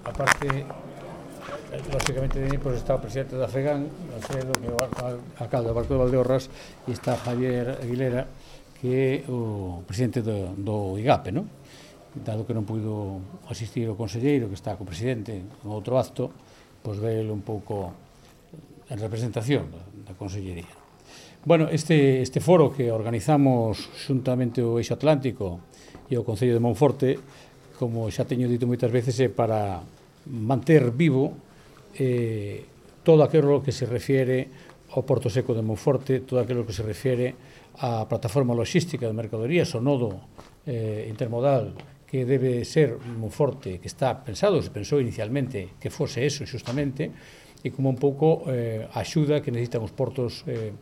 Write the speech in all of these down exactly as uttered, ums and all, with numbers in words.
aparte, lógicamente, de mí, pues está o presidente da FEGAN, Alfredo, que é o alcalde do Barco de Valdeorras, e está Javier Aguilera, que é o presidente do, do IGAPE, non? Dado que non puido asistir o conselleiro, que está co presidente en outro acto, pois vele un pouco en representación da consellería. Bueno, este, este foro que organizamos xuntamente o Eixo Atlántico e o Concello de Monforte, como xa teño dito moitas veces, é para manter vivo eh, todo aquilo que se refiere ao Porto Seco de Monforte, todo aquilo que se refiere á plataforma logística de mercadorías, o nodo eh, intermodal que debe ser Monforte, que está pensado, se pensou inicialmente que fose eso xustamente, e como un pouco eh, a axuda que necesitan os portos eh,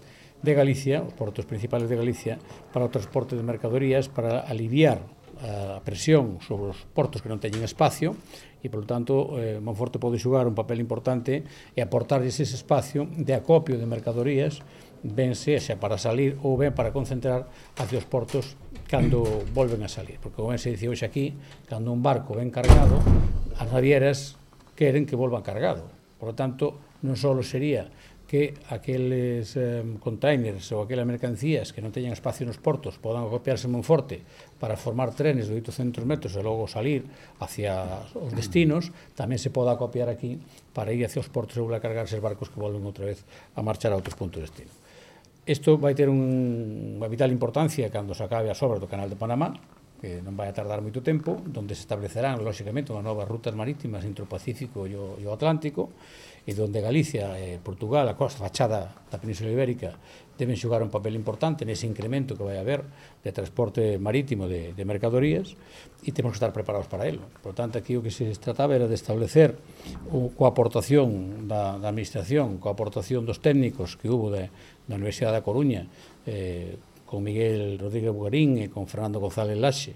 de Galicia, os portos principales de Galicia, para o transporte de mercadorías, para aliviar a presión sobre os portos que non teñen espacio, e, polo tanto, eh, Monforte pode xogar un papel importante e aportarlles ese espacio de acopio de mercadorías, ben sexa para salir ou ben para concentrar hacia os portos cando volven a salir. Porque, como ben se dice hoxe aquí, cando un barco ven cargado, as navieras queren que volvan cargado. Por lo tanto, non só sería que aqueles eh, containers ou aquelas mercancías que non teñan espacio nos portos podan acopiarse en Monforte para formar trenes de oitocentos metros e logo salir hacia os destinos, tamén se poda acopiar aquí para ir hacia os portos e volver a cargarse os barcos que volven outra vez a marchar a outros puntos de destino. Isto vai ter un, unha vital importancia cando se acabe as obras do Canal de Panamá, que non vai a tardar moito tempo, onde se establecerán, lógicamente, unhas novas rutas marítimas entre o Pacífico e o, e o Atlántico, e onde Galicia e Portugal, a costa fachada da Península Ibérica, deben xogar un papel importante nese incremento que vai haber de transporte marítimo de, de mercadorías, e temos que estar preparados para ello. Por tanto, aquí o que se trataba era de establecer o, coa aportación da, da administración, coa aportación dos técnicos que hubo de, da Universidade da Coruña, eh, con Miguel Rodríguez Bugarín e con Fernando González Laxe,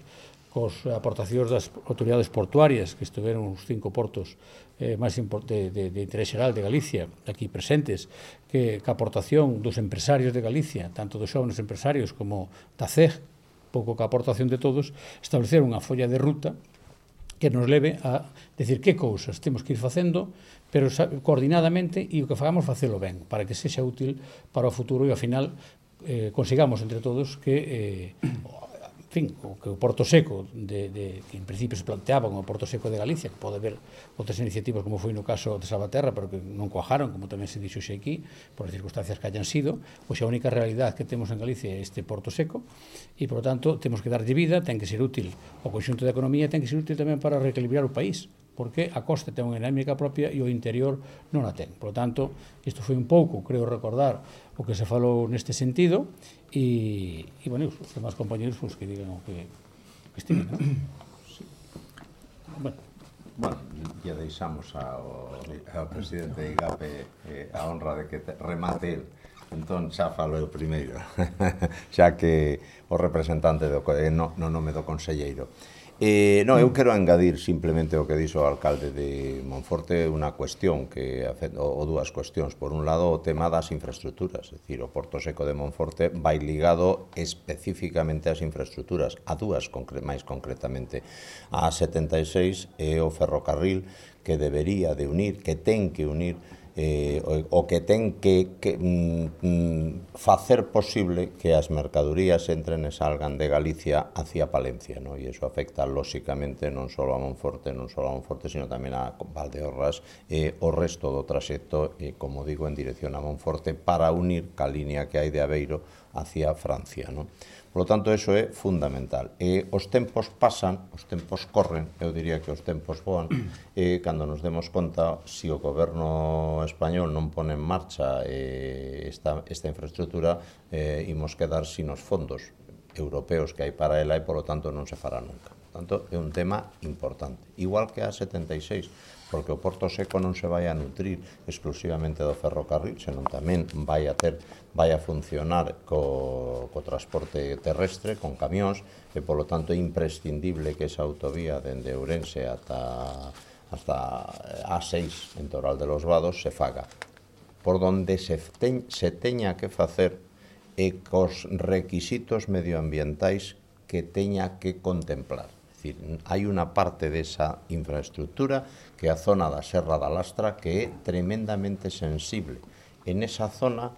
cos aportacións das autoridades portuarias que estiveron os cinco portos eh, máis de, de, de interés xeral de Galicia aquí presentes, que a aportación dos empresarios de Galicia, tanto dos xóvenes empresarios como da C E G, pouco que a aportación de todos, establecer unha folla de ruta que nos leve a decir que cousas temos que ir facendo, pero coordinadamente, e o que fagamos facelo ben, para que sexa útil para o futuro e ao final eh, consigamos entre todos que eh, en fin, o que o Porto Seco de, de, que en principio se planteaba como o Porto Seco de Galicia, que pode haber outras iniciativas como foi no caso de Salvaterra, pero que non cuajaron, como tamén se dixo xe aquí, por as circunstancias que hayan sido, pois a única realidade que temos en Galicia é este Porto Seco, e, por lo tanto, temos que darlle vida, ten que ser útil o conxunto da economía, ten que ser útil tamén para reequilibrar o país, porque a costa ten unha dinámica propia e o interior non a ten. Por lo tanto, isto foi un pouco, creo recordar, o que se falou neste sentido, e, e bueno, os demás compañeros pues, que digan o que, que estimen, non? Sí. Bueno, bueno, ya deixamos ao, ao presidente de IGAPE eh, a honra de que te, remate el. Entón, xa falo eu primeiro, xa que o representante do, no, no nome do conselleiro. Eh, no, eu quero engadir simplemente o que dixo o alcalde de Monforte unha cuestión, que ou dúas cuestións. Por un lado, o tema das infraestructuras, é dicir, o Porto Seco de Monforte vai ligado especificamente ás infraestructuras, a dúas máis concretamente, a setenta e seis e o ferrocarril que debería de unir, que ten que unir Eh, o, o que ten que, que mm, facer posible que as mercadorías entren e salgan de Galicia hacia Palencia, ¿no? E iso afecta lóxicamente non só a Monforte, non só a Monforte, sino tamén a Valdeorras e o resto do traxecto, e, como digo, en dirección a Monforte para unir ca línea que hai de Aveiro hacia Francia, ¿no? Por lo tanto, eso é fundamental. E os tempos pasan, os tempos corren, eu diría que os tempos voan, e cando nos demos conta, se o goberno español non pone en marcha eh, esta, esta infraestructura, eh, imos quedar sin os fondos europeos que hai para ela e, por lo tanto, non se fará nunca. Por tanto, é un tema importante. Igual que a setenta e seis, porque o Porto Seco non se vai a nutrir exclusivamente do ferrocarril, senón tamén vai a ter, vai a funcionar co, co transporte terrestre, con camións, e, polo tanto, é imprescindible que esa autovía dende Ourense ata, hasta a seis en Toral de los Vados se faga. Por donde se, ten, se teña que facer e cos requisitos medioambientais que teña que contemplar. É dicir, hai unha parte desa infraestructura que é a zona da Serra da Lastra que é tremendamente sensible. En esa zona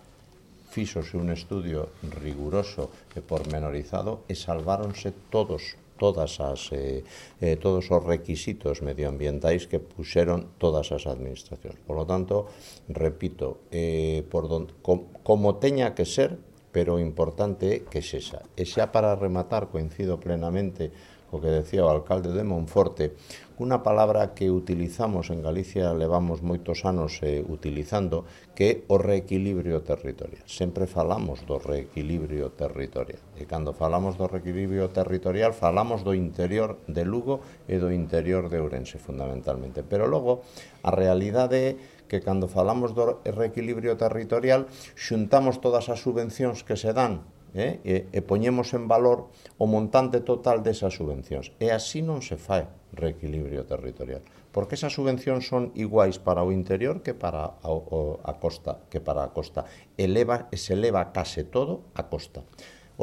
fíxose un estudio riguroso e pormenorizado e salváronse todos todas as eh, eh, todos os requisitos medioambientais que puxeron todas as administracións. Por lo tanto, repito, eh, por don, com, como teña que ser, pero o importante é que sexa. E xa para rematar, coincido plenamente co que decía o alcalde de Monforte, unha palabra que utilizamos en Galicia, levamos moitos anos eh, utilizando, que é o reequilibrio territorial. Sempre falamos do reequilibrio territorial. E cando falamos do reequilibrio territorial, falamos do interior de Lugo e do interior de Ourense, fundamentalmente. Pero logo, a realidade é que cando falamos do reequilibrio territorial, xuntamos todas as subvencións que se dan Eh, e, e poñemos en valor o montante total desas subvencións. E así non se fai reequilibrio territorial, porque esas subvencións son iguais para o interior que para a, o, a costa, que para a costa. Eleva, e se eleva case todo a costa.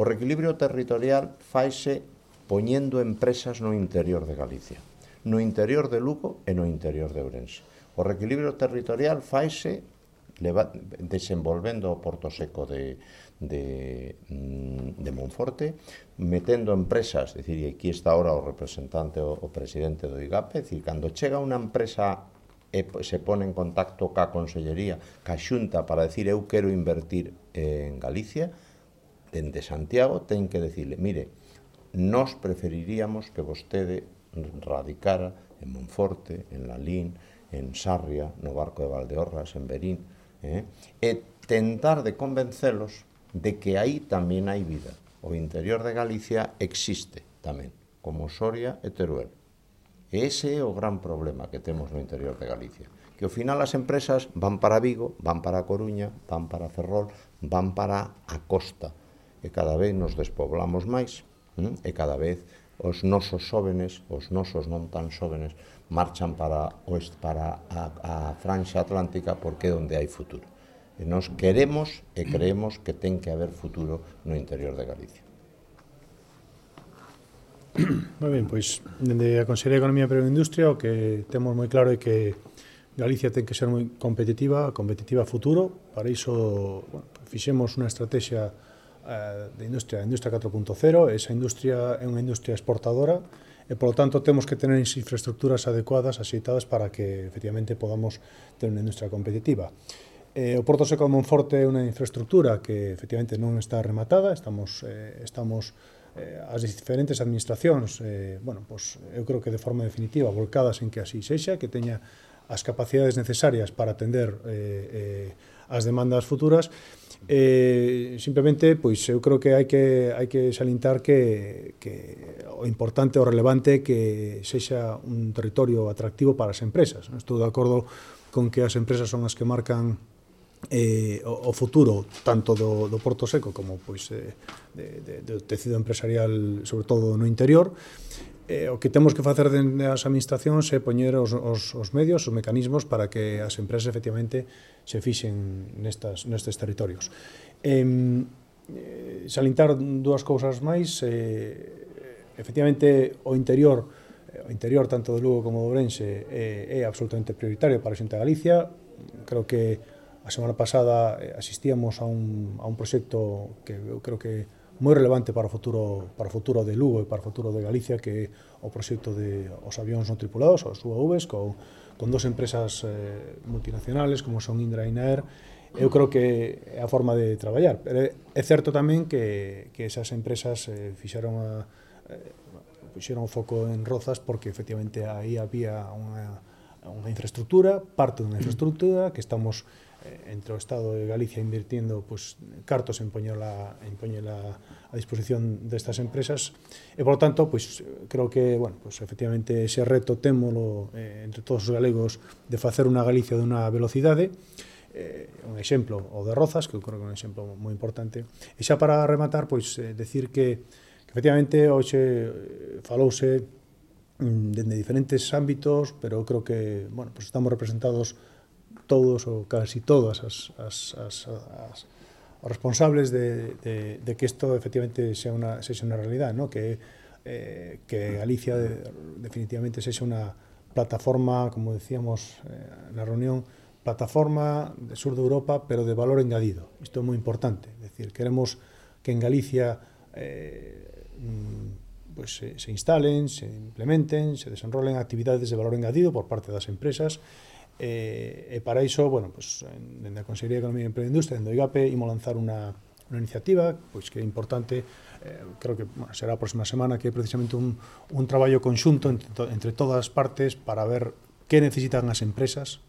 O reequilibrio territorial faise poñendo empresas no interior de Galicia, no interior de Lugo e no interior de Ourense. O reequilibrio territorial faise desenvolvendo o Porto Seco de, de, de Monforte, metendo empresas, é dicir, aquí está ahora o representante, o, o presidente do I G A P, é dicir, cando chega unha empresa e se pone en contacto ca Consellería, ca Xunta, para decir eu quero invertir en Galicia, dende Santiago ten que decirle, mire, nós preferiríamos que vostede radicara en Monforte, en Lalín, en Sarria, no Barco de Valdeorras, en Verín, eh? e tentar de convencelos de que aí tamén hai vida. O interior de Galicia existe tamén, como Soria e Teruel. E ese é o gran problema que temos no interior de Galicia, que ao final as empresas van para Vigo, van para Coruña, van para Ferrol, van para a costa, e cada vez nos despoblamos máis, eh? e cada vez os nosos xóvenes, os nosos non tan xóvenes, marchan para, para a, a franxa atlántica porque é onde hai futuro. E nós queremos e creemos que ten que haber futuro no interior de Galicia. Moi ben, pois, dende a Consellería de Economía e Agroindustria o que temos moi claro é que Galicia ten que ser moi competitiva, competitiva a futuro. Para iso, bueno, fixemos unha estrategia uh, de industria, industria catro punto cero. Esa industria é unha industria exportadora e, polo tanto, temos que tener infraestructuras adecuadas, axeitadas, para que, efectivamente, podamos ter unha industria competitiva. Eh, o Porto Seco de Monforte é unha infraestructura que, efectivamente, non está rematada. Estamos, eh, estamos eh, as diferentes administracións, eh, bueno, pues, eu creo que de forma definitiva, volcadas en que así sexa, que teña as capacidades necesarias para atender eh, eh, as demandas futuras. Eh, simplemente, pois, eu creo que hai que, hai que salientar que, que o importante, o relevante, que sexa un territorio atractivo para as empresas. Estou de acordo con que as empresas son as que marcan eh, o, o futuro tanto do, do Porto Seco como, pois, eh, de, de, do tecido empresarial, sobre todo no interior. Eh, o que temos que facer dende as administracións é poñer os, os, os medios, os mecanismos para que as empresas efectivamente se fixen nestas, nestes territorios. Eh, eh, salientar dúas cousas máis. Eh, efectivamente, o interior, o interior tanto de Lugo como de Ourense é, é absolutamente prioritario para a Xunta de Galicia. Creo que a semana pasada asistíamos a un, a un proxecto que eu creo que moi relevante para o futuro para o futuro de Lugo e para o futuro de Galicia, que é o proxecto de os avións non tripulados, os U A Vs, con, con dos empresas eh, multinacionales como son Indra e Inaer. Eu creo que é a forma de traballar. Pero é certo tamén que, que esas empresas eh, fixeron a, eh, fixeron o foco en Rozas porque efectivamente aí había unha, unha infraestructura, parte dunha infraestructura que estamos entre o Estado de Galicia invirtiendo, pues, cartos en poñela, en poñela a disposición destas empresas e, por lo tanto, pues, creo que, bueno, pues, efectivamente, ese reto témolo eh, entre todos os galegos de facer unha Galicia de unha velocidade. Eh, un exemplo, o de Rozas, que eu creo que é un exemplo moi importante. E xa para rematar, pois, eh, decir que, que efectivamente, hoxe falouse mm, dende diferentes ámbitos, pero eu creo que, bueno, pues, estamos representados todos ou casi todas as, as, as, as os responsables de, de, de que isto efectivamente sea unha, sea unha realidade, ¿no? Que eh, que Galicia de, definitivamente sexa unha plataforma, como decíamos eh, na reunión, plataforma de sur de Europa, pero de valor engadido. Isto é moi importante. É dicir, queremos que en Galicia eh, pues, se, se instalen, se implementen, se desenrolen actividades de valor engadido por parte das empresas. Eh, e para iso, bueno, pues, en, en a Consellería de Economía e Emprego e Industria, en do IGAPE, imos lanzar unha, unha iniciativa pois, que é importante. Eh, creo que bueno, será a próxima semana, que é precisamente un, un traballo conxunto entre, to, entre todas as partes para ver que necesitan as empresas,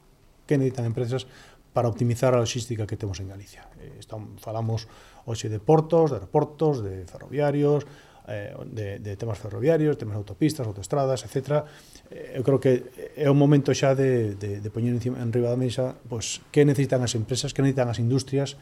que necesitan empresas para optimizar a logística que temos en Galicia. Eh, estamos, falamos hoxe de portos, de aeroportos, de ferroviarios, eh, de, de temas ferroviarios, temas de autopistas, autoestradas, etcétera. Eh, eu creo que é un momento xa de, de, de poñer encima, en riba da mesa pues, que necesitan as empresas, que necesitan as industrias,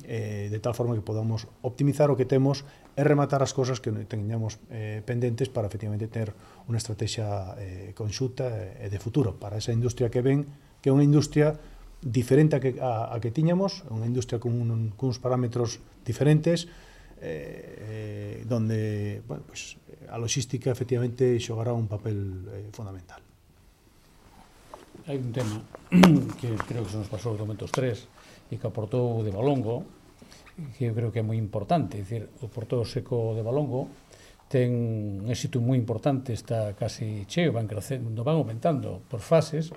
eh, de tal forma que podamos optimizar o que temos e rematar as cosas que teñamos eh, pendentes para efectivamente ter unha estrategia eh, conxunta e de futuro para esa industria que ven, que é unha industria diferente a que, a, a que tiñamos, unha industria con un, con uns parámetros diferentes, eh, eh, donde bueno, pues, a logística efectivamente xogará un papel eh, fundamental. Hai un tema que creo que se nos pasou do momento os tres e que aportou de Valongo, que eu creo que é moi importante. É dicir, o Porto Seco de Valongo ten un éxito moi importante, está casi cheo, van crecendo, van aumentando por fases,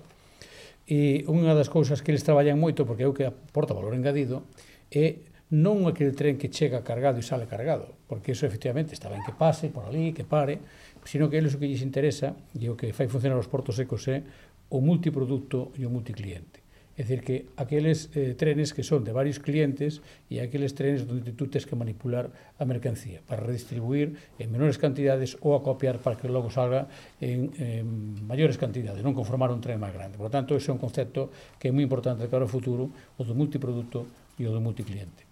e unha das cousas que eles traballan moito, porque é o que aporta valor engadido, é non aquele tren que chega cargado e sale cargado, porque iso efectivamente está ben que pase por ali, que pare, sino que eles o que lles interesa, e o que fai funcionar os portos secos é o multiproducto e o multicliente. É dicir, que aqueles eh, trenes que son de varios clientes e aqueles trenes onde tú tens que manipular a mercancía para redistribuir en menores cantidades ou acopiar para que logo salga en, en maiores cantidades, non conformar un tren máis grande. Por lo tanto, ese é un concepto que é moi importante para o futuro, o do multiproducto e o do multicliente.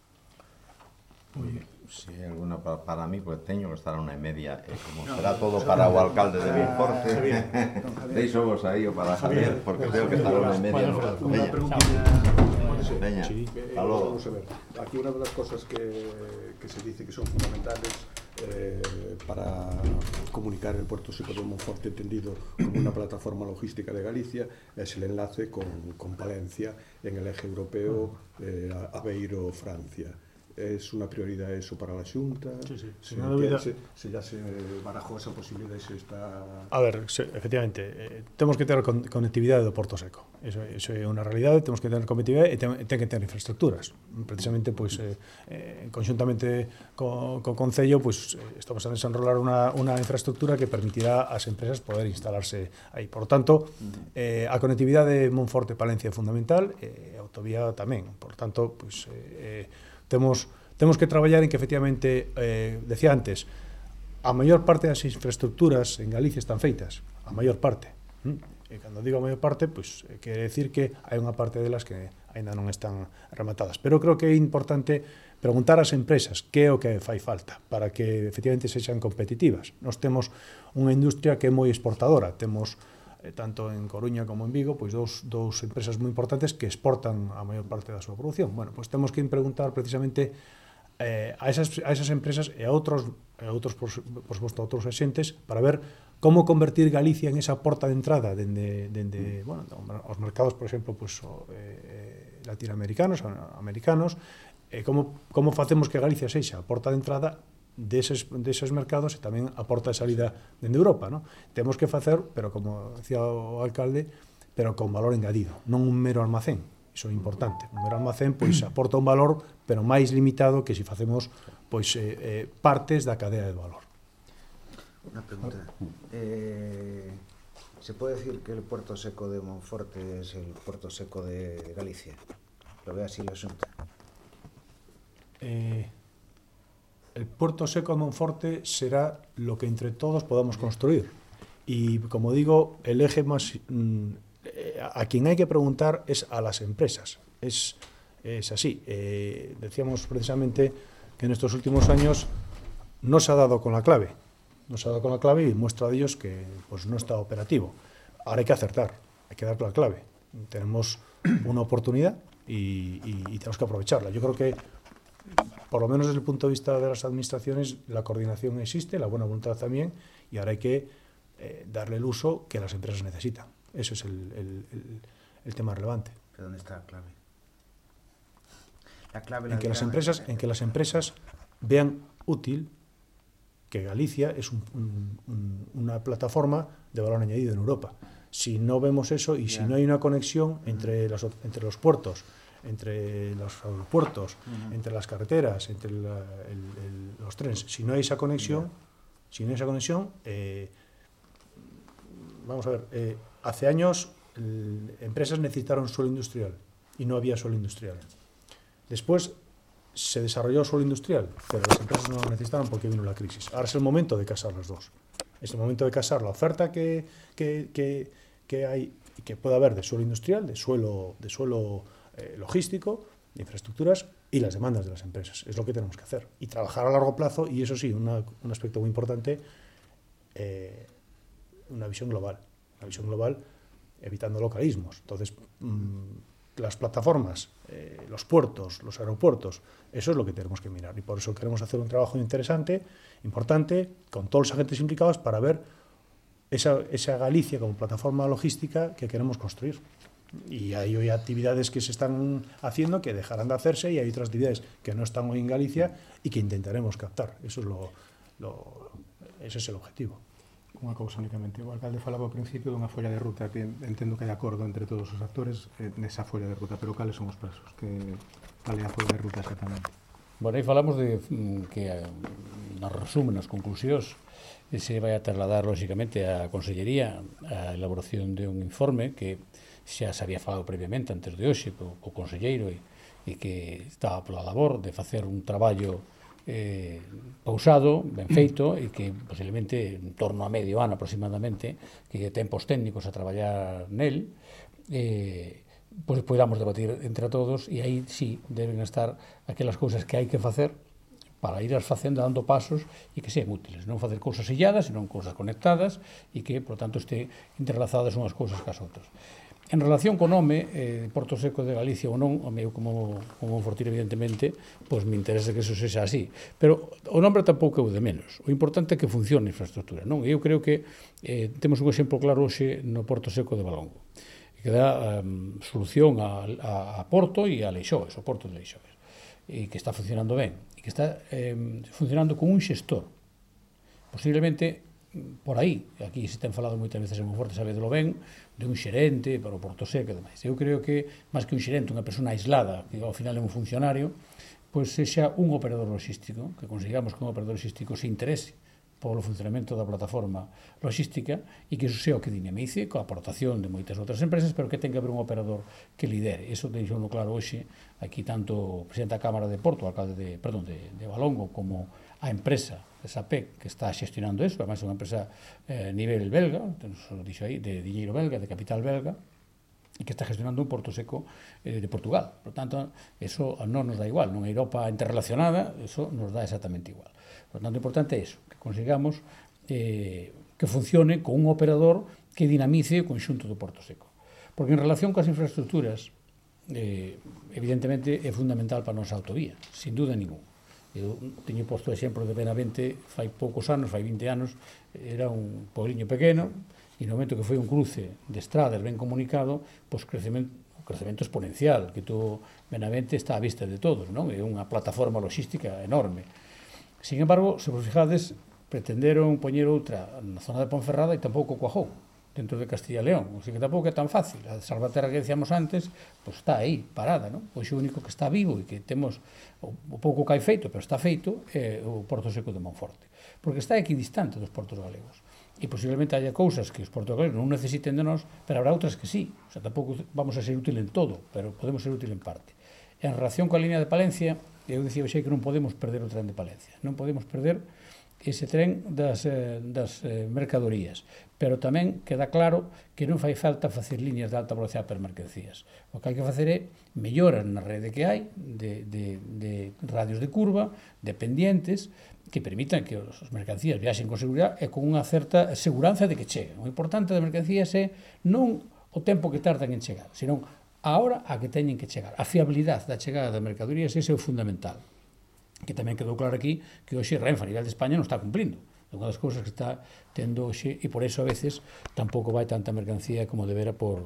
Oye, si hai alguna para, para mí, pues teño que estar a unha e media, e como será todo para o alcalde de Monforte, deixo vos aí o para Javier, porque tengo que estar a unha e media. Una preguntilla. Veña, aló. Vamos a ver, aquí una de las cosas que, que se dice que son fundamentales eh, para comunicar el puerto seco de Monforte entendido como una plataforma logística de Galicia es el enlace con, con Palencia en el eje europeo eh, Aveiro-Francia. ¿Es una prioridad eso para la Xunta? Sí, sí. ¿Se, Sin duda. se, se ya se barajó esa posibilidad y se está...? A ver, se, efectivamente, eh, temos que ter con, conectividade do Porto Seco. Eso, eso é unha realidade, temos que ter conectividade e ten, ten que ter infraestructuras. Precisamente, pois, eh, eh, conxuntamente co, co Concello, pois, eh, estamos a desenrolar unha, unha infraestructura que permitirá ás empresas poder instalarse aí. Por tanto, eh, a conectividade Monforte-Palencia é fundamental, e a autovía tamén. Por tanto, pois, eh, Temos, temos que traballar en que efectivamente, eh, decía antes, a maior parte das infraestructuras en Galicia están feitas, a maior parte. ¿Mm? E cando digo a maior parte, pois, pues, quere decir que hai unha parte delas que aínda non están rematadas. Pero creo que é importante preguntar ás empresas que é o que fai falta para que efectivamente sexan competitivas. Nós temos unha industria que é moi exportadora, temos tanto en Coruña como en Vigo, pois dous, dous empresas moi importantes que exportan a maior parte da súa produción. Bueno, pois temos que preguntar precisamente eh, a, esas, a esas empresas e a outros, a outros por, por suposto, a outros axentes para ver como convertir Galicia en esa porta de entrada dende, dende bueno, os mercados, por exemplo, pois, o, eh, latinoamericanos, americanos, e como, como facemos que Galicia sexa a porta de entrada deses, deses mercados e tamén a porta de salida dende Europa, ¿no? Temos que facer, pero como decía o alcalde, pero con valor engadido, non un mero almacén. Iso é importante. Un mero almacén pois aporta un valor, pero máis limitado que se facemos pois eh, eh, partes da cadea de valor. Una pregunta. Eh, ¿Se puede decir que el puerto seco de Monforte es el puerto seco de Galicia? ¿Lo ve así la Xunta? Eh... El puerto seco de Monforte será lo que entre todos podamos construir. Y como digo, el eje más... A quien hay que preguntar es a las empresas. Es, es así. Eh, decíamos precisamente que en estos últimos años no se ha dado con la clave. No se ha dado con la clave y muestra de ellos que pues, no está operativo. Ahora hay que acertar, hay que dar la clave. Tenemos una oportunidad y, y, y tenemos que aprovecharla. Yo creo que por lo menos desde el punto de vista de las administraciones, la coordinación existe, la buena voluntad también, y ahora hay que eh, darle el uso que las empresas necesitan. Eso es el, el, el, el tema relevante. ¿Pero dónde está la clave? La clave la en, que las dirá- empresas, en que las empresas vean útil que Galicia es un, un, un, una plataforma de valor añadido en Europa. Si no vemos eso y Ya. si no hay una conexión entre, las, entre los puertos, entre los aeropuertos, Ujú. entre las carreteras, entre la, el, el, los trenes, si no hay esa conexión, si no hay esa conexión, eh, vamos a ver, eh, hace años el, empresas necesitaron suelo industrial y no había suelo industrial. Después se desarrolló suelo industrial, pero las empresas no lo necesitaban porque vino la crisis. Ahora es el momento de casar las dos. Es el momento de casar la oferta que, que, que, que hay y que pueda haber de suelo industrial, de suelo, de suelo eh, logístico, de infraestructuras y las demandas de las empresas. Es lo que tenemos que hacer. Y trabajar a largo plazo, y eso sí, una, un aspecto muy importante, eh, una visión global. Una visión global evitando localismos. Entonces, mmm, las plataformas, eh, los puertos, los aeropuertos, eso es lo que tenemos que mirar. Y por eso queremos hacer un trabajo interesante, importante, con todos los agentes implicados para ver esa, esa Galicia como plataforma logística que queremos construir. Y hay hoy actividades que se están haciendo que dejarán de hacerse y hay otras actividades que no están hoy en Galicia y que intentaremos captar. Eso es lo, lo, ese es el objetivo. Unha cousa únicamente, o alcalde falaba ao principio dunha folla de ruta que entendo que hai acordo entre todos os actores eh, nesa folla de ruta, pero cales son os prazos? Que, cal é a folla de ruta exactamente? Bueno, aí falamos de mm, que eh, nos resumen, nas conclusións, e se vai a trasladar, lóxicamente, á Consellería a elaboración de un informe que xa se había falado previamente antes de hoxe co, co Conselleiro e, e que estaba pola labor de facer un traballo eh, pausado, ben feito e que posiblemente en torno a medio ano aproximadamente que tempos técnicos a traballar nel eh, pois podamos debatir entre todos e aí sí deben estar aquelas cousas que hai que facer para ir as facendo dando pasos e que sean útiles, non facer cousas illadas, senón cousas conectadas e que, por tanto, este interlazadas unhas cousas cas outras. En relación co nome, eh, Porto Seco de Galicia ou non, o meu como, como Monfortino, evidentemente, pois me interesa que eso sexa así. Pero o nome tampouco é o de menos. O importante é que funcione a infraestructura, non? E eu creo que eh, temos un exemplo claro hoxe no Porto Seco de Valongo, que dá um, solución a, a, a Porto e a Leixoes, o Porto de Leixoes, e que está funcionando ben, e que está eh, funcionando con un xestor. Posiblemente por aí, aquí se ten falado moitas veces en Monforte, sabedelo ben, de un xerente para o Porto Seco e demais. Eu creo que, máis que un xerente, unha persona aislada, que ao final é un funcionario, pois sexa un operador logístico, que consigamos que un operador logístico se interese polo funcionamento da plataforma logística e que iso sea o que dinamice coa aportación de moitas outras empresas, pero que ten que haber un operador que lidere. Iso deixou no claro hoxe, aquí tanto o presidente da Cámara de Porto, o alcalde de, perdón, de, de Valongo, como a empresa de SAPEC que está xestionando eso, además é unha empresa eh, nivel belga, nos dixo aí, de diñeiro belga, de capital belga, e que está gestionando un Porto Seco eh, de Portugal. Por tanto, eso non nos dá igual, non é Europa interrelacionada, eso nos dá exactamente igual. Por tanto, o importante é eso, que consigamos eh, que funcione con un operador que dinamice o conxunto do Porto Seco. Porque en relación coas infraestructuras, eh, evidentemente é fundamental para a nosa autovía, sin duda ningún. Eu teño posto o exemplo de Benavente fai poucos anos, fai vinte anos, era un pobliño pequeno, e no momento que foi un cruce de estradas ben comunicado, pois crecemento, crecemento exponencial, que todo Benavente está á vista de todos, non? É unha plataforma logística enorme. Sin embargo, se vos fijades, pretenderon poñer outra na zona de Ponferrada e tampouco cuajou, dentro de Castilla e León, o sea que tampouco é tan fácil. A de Salvaterra que decíamos antes, pois está aí, parada, non? Pois o único que está vivo e que temos o, o pouco que hai feito, pero está feito, é o Porto Seco de Monforte, porque está equidistante dos portos galegos. E posiblemente haya cousas que os portos galegos non necesiten de nós, pero habrá outras que sí. O sea, tampouco vamos a ser útil en todo, pero podemos ser útil en parte. En relación coa línea de Palencia, eu dicía hoxe que non podemos perder o tren de Palencia, non podemos perder ese tren das, eh, das eh, mercadorías, pero tamén queda claro que non fai falta facer líneas de alta velocidade per mercancías. O que hai que facer é melloras na rede que hai de, de, de radios de curva, de pendientes, que permitan que as mercancías viaxen con seguridade e con unha certa seguranza de que cheguen. O importante das mercancías é non o tempo que tardan en chegar, senón a hora a que teñen que chegar. A fiabilidade da chegada das mercadorías, ese é o fundamental. que tamén quedou claro aquí que hoxe Renfe a nivel de España non está cumplindo. É unha das cousas que está tendo hoxe e por eso a veces tampouco vai tanta mercancía como debera por,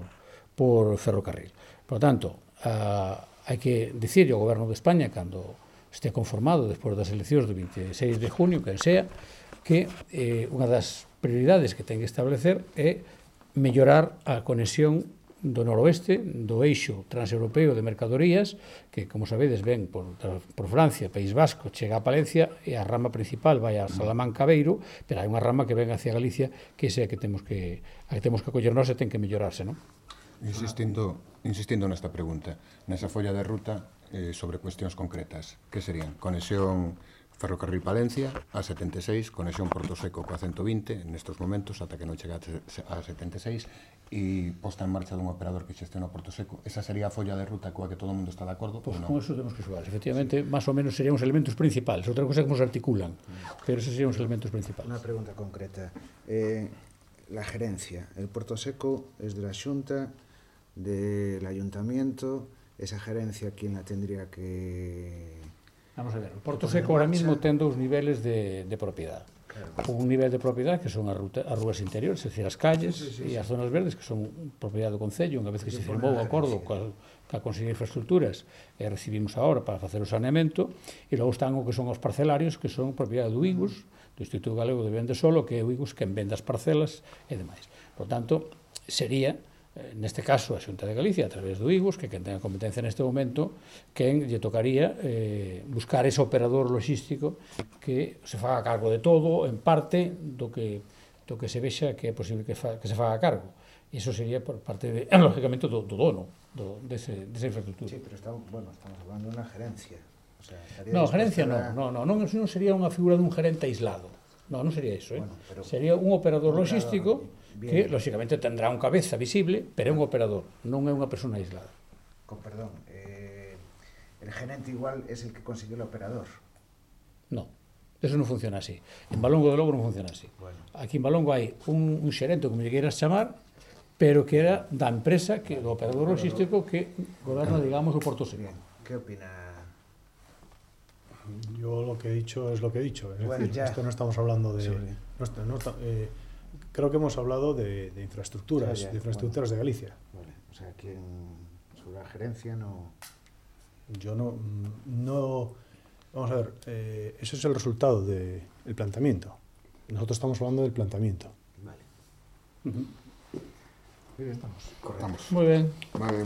por ferrocarril. Por tanto, a, hai que dicir ao goberno de España cando este conformado despois das eleccións do veintiséis de junio, que sea, que eh, unha das prioridades que ten que establecer é mellorar a conexión do noroeste, do eixo transeuropeo de mercadorías, que, como sabedes, ven por, por Francia, País Vasco, chega a Palencia, e a rama principal vai a Salamanca Beiro, pero hai unha rama que ven hacia Galicia, que é a que temos que, a que temos que acollernos e ten que mellorarse, non? Insistindo, insistindo nesta pregunta, nesa folla de ruta eh, sobre cuestións concretas, que serían conexión Ferrocarril Palencia a setenta e seis, conexión Porto Seco coa ciento vinte nestes momentos ata que non chega a setenta e seis e posta en marcha dun operador que xestiona Porto Seco. Esa sería a folla de ruta coa que todo o mundo está de acordo? Pois no? con eso temos que xogar. Efectivamente, máis ou menos serían os elementos principales. Outra cosa é como se articulan, pero esos serían os elementos principales. Una pregunta concreta. Eh, la gerencia. El Porto Seco es de la Xunta, del Ayuntamiento. Esa gerencia, ¿quién la tendría que...? Vamos a ver, o Porto Seco ahora mismo ten dous niveles de, de propiedade. Claro. Un nivel de propiedade que son as, ruta, as rúas interiores, é dicir, as calles sí, sí, sí, e as zonas verdes que son propiedade do Concello, unha vez que se firmou o acordo coa, coa Consellería de Infraestructuras e recibimos a hora para facer o saneamento, e logo están o que son os parcelarios que son propiedade do I G U S, do Instituto Galego de Vende Solo, que é o I G U S quen vende as parcelas e demais. Por tanto, sería neste caso a Xunta de Galicia a través do I G U S, que quen ten a competencia neste momento, quen lle tocaría eh, buscar ese operador logístico que se faga cargo de todo, en parte do que do que se vexa que é posible que, fa, que se faga cargo. E iso sería por parte de, lógicamente, do, do dono do, dese, desa infraestructura. Sí, pero estamos, bueno, estamos hablando de unha gerencia. O sea, no, gerencia non, no, no, non, non sería unha figura dun gerente aislado. No, non sería iso, eh? Bueno, pero, sería un operador un logístico bien, que, lógicamente, tendrá un cabeza visible, pero é un operador, non é unha persona aislada. Con perdón, eh, el gerente igual es el que consigue el operador. No, eso non funciona así. En Valongo de Lobo non funciona así. Bueno. Aquí en Valongo hai un, un xerente, como lle queiras chamar, pero que era da empresa, que do operador logístico que goberna, digamos, o Porto Seco. ¿Qué opina? Yo lo que he dicho es lo que he dicho. Es bueno, decir, ya. esto no estamos hablando de... No, no, eh, creo que hemos hablado de, de infraestructuras, ya, ya. de infraestructuras bueno. de Galicia. Vale. O sea, ¿quién, sobre la gerencia no...? Yo no... no vamos a ver, eh, ese es el resultado del de, planteamiento. Nosotros estamos hablando del planteamiento. Vale. Uh-huh. Muy bien, estamos. Correctamos. Muy bien. Vale.